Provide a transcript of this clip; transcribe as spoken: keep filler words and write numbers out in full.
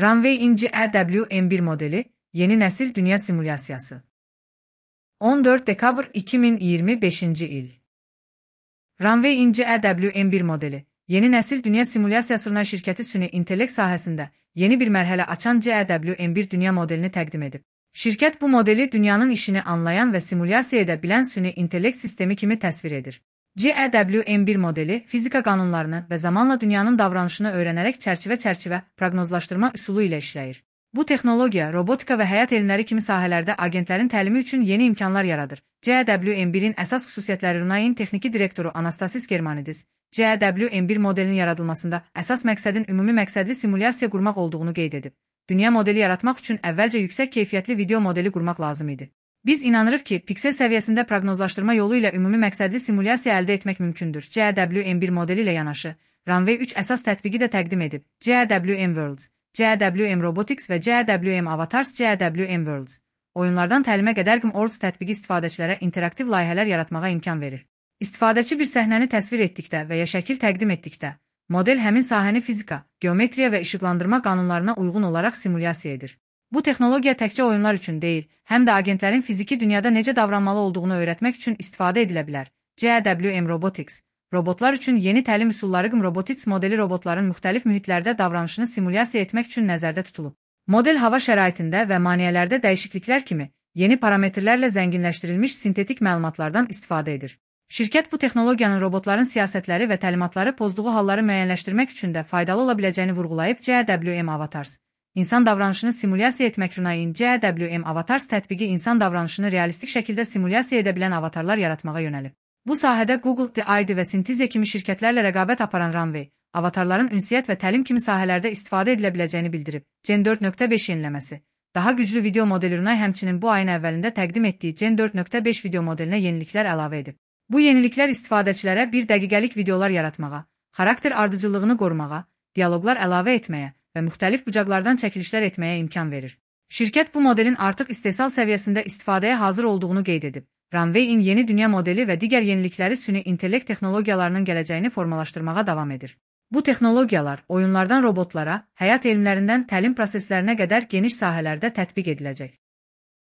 Runway in G E W M bir modeli, yeni nesil dünya simülasyası. on dört dekabr iki bin iyirmi beşinci il. Runway in G E W M bir modeli, yeni nesil dünya simülasyasına şirketi süni intellekt sahəsində yeni bir mərhələ açan G E W M bir dünya modelini təqdim edib. Şirkət bu modeli dünyanın işini anlayan və simulyasiya edə bilən süni intellekt sistemi kimi təsvir edir. G E W M bir modeli fizika qanunlarını və zamanla dünyanın davranışını öyrənərək çərçivə-çərçivə proqnozlaşdırma üsulu ilə işləyir. Bu texnologiya robotika və həyat elmləri kimi sahələrdə agentlərin təlimi üçün yeni imkanlar yaradır. G E W M birin əsas xüsusiyyətləri Runway'in texniki direktoru Anastasis Germanidis, G E W M bir modelinin yaradılmasında əsas məqsədin ümumi məqsədli simulyasiya qurmaq olduğunu qeyd edib. Dünya modeli yaratmaq üçün əvvəlcə yüksək keyfiyyətli video modeli qurmaq lazım idi. Biz inanırıq ki, piksel səviyyəsində proqnozlaşdırma yolu ilə ümumi məqsədli simulyasiya əldə etmək mümkündür. G E W M bir modeli ilə yanaşı, Runway üç əsas tətbiqi də təqdim edib. G E W M Worlds, G E W M Robotics və G E W M Avatars. G E W M Worlds oyunlardan təlimə qədər G E W M Worlds tətbiqi istifadəçilərə interaktiv layihələr yaratmağa imkan verir. İstifadəçi bir səhnəni təsvir etdikdə və ya şəkil təqdim etdikdə, model həmin sahəni fizika, geometriya və işıqlandırma qanunlarına uyğun olaraq simulyasiya edir. Bu texnologiya təkcə oyunlar üçün deyil, həm də agentlərin fiziki dünyada necə davranmalı olduğunu öyrətmək üçün istifadə edilə bilər. G E W M Robotics robotlar üçün yeni təlim üsulları G E W M Robotics modeli robotların müxtəlif mühitlərdə davranışını simulyasiya etmək üçün nəzərdə tutulub. Model hava şəraitində və maneələrdə dəyişikliklər kimi yeni parametrlərlə zənginləşdirilmiş sintetik məlumatlardan istifadə edir. Şirkət bu texnologiyanın robotların siyasətləri və təlimatları pozduğu halları müəyyənləşdirmək üçün də faydalı ola biləcəyini vurğulayıb. G E W M Avatars İnsan davranışını simulyasiya etmək Runway'in G E W M Avatars tətbiqi insan davranışını realistik şəkildə simulyasiya edə bilən avatarlar yaratmağa yönəlib. Bu sahədə Google, D I D və Synthesia kimi şirkətlərlə rəqabət aparan Runway, avatarların ünsiyyət və təlim kimi sahələrdə istifadə edilə biləcəyini bildirib. Gen dörd nöqtə beş yeniləməsi. Daha güclü video modeli Runway həmçinin bu ayın əvvəlində təqdim etdiyi Gen dörd nöqtə beş video modelinə yeniliklər əlavə edib. Bu yeniliklər istifadəçilərə bir dəqiqəlik videolar yaratmağa, xarakter ardıcıllığını qorumağa, dialoqlar əlavə etməyə və müxtəlif bucaqlardan çəkilişlər etməyə imkan verir. Şirkət bu modelin artıq istehsal səviyyəsində istifadəyə hazır olduğunu qeyd edib. Runway'in yeni dünya modeli və digər yenilikləri süni intellekt texnologiyalarının gələcəyini formalaşdırmağa davam edir. Bu texnologiyalar oyunlardan robotlara, həyat elmlərindən təlim proseslərinə qədər geniş sahələrdə tətbiq ediləcək.